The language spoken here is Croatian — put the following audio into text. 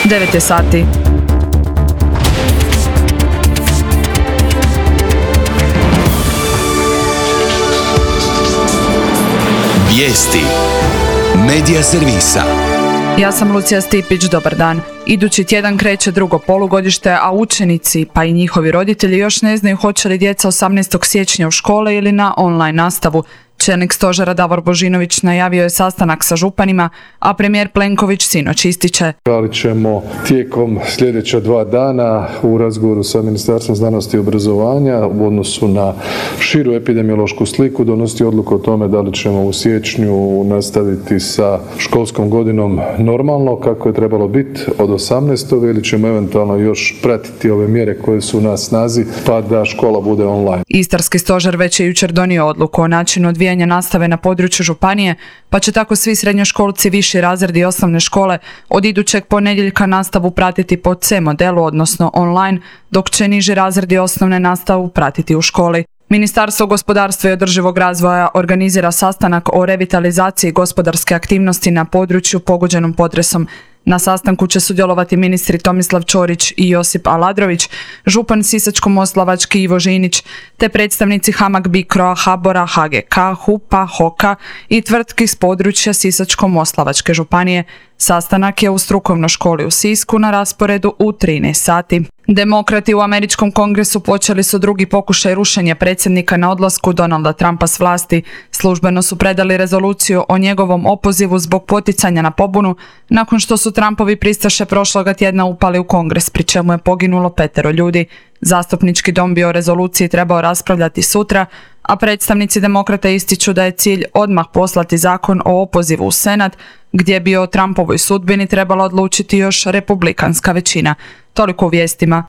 9 je sati. Vijesti Medija servisa. Ja sam Lucija Stipić, dobar dan. Idući tjedan kreće drugo polugodište, a učenici, pa i njihovi roditelji još ne znaju hoće li djeca 18. siječnja u škole ili na online nastavu. Čelnik stožera Davor Božinović najavio je sastanak sa županima, a premijer Plenković sinoć ističe: Ali ćemo tijekom sljedeća 2 dana u razgovoru sa Ministarstvom znanosti i obrazovanja u odnosu na širu epidemiološku sliku donositi odluku o tome da li ćemo u siječnju nastaviti sa školskom godinom normalno kako je trebalo biti od 18. ili ćemo eventualno još pratiti ove mjere koje su na snazi pa da škola bude online. Istarski stožer već je jučer donio odluku o načinu odvijanja nastave na području županije, pa će tako svi srednjoškolci, viši razredi i osnovne škole od idućeg ponedjeljka nastavu pratiti po C modelu, odnosno online, dok će niži razredi osnovne nastavu pratiti u školi. Ministarstvo gospodarstva i održivog razvoja organizira sastanak o revitalizaciji gospodarske aktivnosti na području pogođenom potresom. Na sastanku će sudjelovati ministri Tomislav Ćorić i Josip Aladrović, župan Sisačko-moslavački Ivo Žinić, te predstavnici HAMAG BICRO-a, HABOR-a, HGK, HUP-a, HOK-a i tvrtki s područja Sisačko-moslavačke županije. Sastanak je u strukovnoj školi u Sisku na rasporedu u 13 sati. Demokrati u američkom kongresu počeli su drugi pokušaj rušenja predsjednika na odlasku Donalda Trumpa s vlasti. Službeno su predali rezoluciju o njegovom opozivu zbog poticanja na pobunu, nakon što su Trumpovi pristaše prošloga tjedna upali u kongres, pri čemu je poginulo 5 ljudi. Zastupnički dom bi o rezoluciji trebao raspravljati sutra, a predstavnici demokrata ističu da je cilj odmah poslati zakon o opozivu u Senat, gdje bi o Trumpovoj sudbini trebala odlučiti još republikanska većina. Toliko u vijestima.